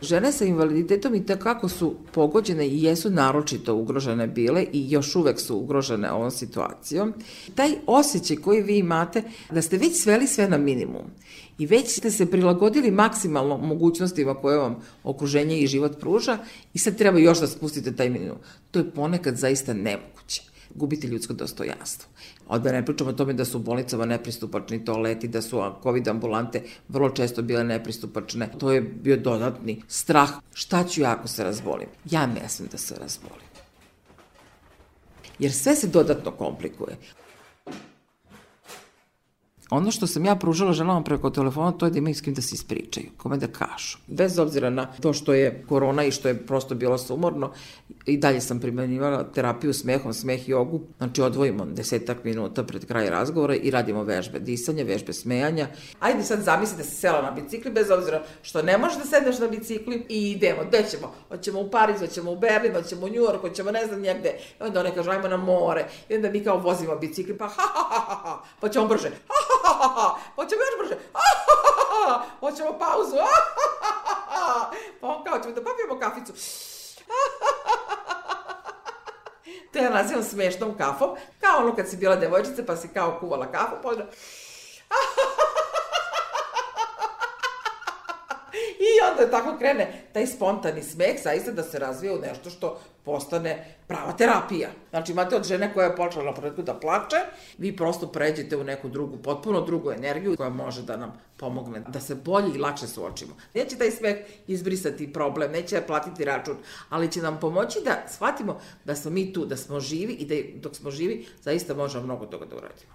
Žene sa invaliditetom i takako su pogođene i jesu naročito ugrožene bile i još uvek su ugrožene ovom situacijom. Taj osjećaj koji vi imate da ste već sveli sve na minimum i već ste se prilagodili maksimalno mogućnostima koje vam okruženje i život pruža i sad treba još da spustite taj minimum. To je ponekad zaista nemoguće. Gubiti ljudsko dostojanstvo. Odmah ne pričamo o tome da su u bolnicama nepristupačni toaleti, da su COVID ambulante vrlo često bile nepristupačne. To je bio dodatni strah. Šta ću ja ako se razbolim? Ja ne smem da se razbolim. Jer sve se dodatno komplikuje. Ono što sam ja pružala ženama preko telefona, to je da imaju s kim da se ispričaju, kome da kažu. Bez obzira na to što je korona i što je prosto bilo sumorno, i dalje sam primenjivala terapiju smehom, smeh jogu. Znači odvojimo 10 minuta pred kraj razgovora i radimo vežbe disanja, vežbe smejanja. Ajde sad zamisli da si sela na bicikli, bez obzira što ne možeš da sedneš na bicikli i idemo. Gde ćemo? Hoćemo u Pariz, hoćemo u Berlin, hoćemo u New York, hoćemo ne znam njegde. I onda one kažu ajmo na more. I onda mi kao vozimo bicikli, pa pa ćemo brže. Hoćemo još brže, hoćemo pauzu, pa on kao ćemo da popijemo kaficu. To ja nazivam smešnom kafom, kao ono kad si bila devojčica pa si kao kuvala kafu, pa onda... I onda tako krene taj spontani smeh, zaista da se razvije u nešto što postane prava terapija. Znači imate od žene koja je počela na početku da plače, vi prosto pređete u neku drugu, potpuno drugu energiju koja može da nam pomogne da se bolje i lakše suočimo. Neće taj smeh izbrisati problem, neće platiti račun, ali će nam pomoći da shvatimo da smo mi tu, da smo živi i da dok smo živi zaista možemo mnogo toga da uradimo.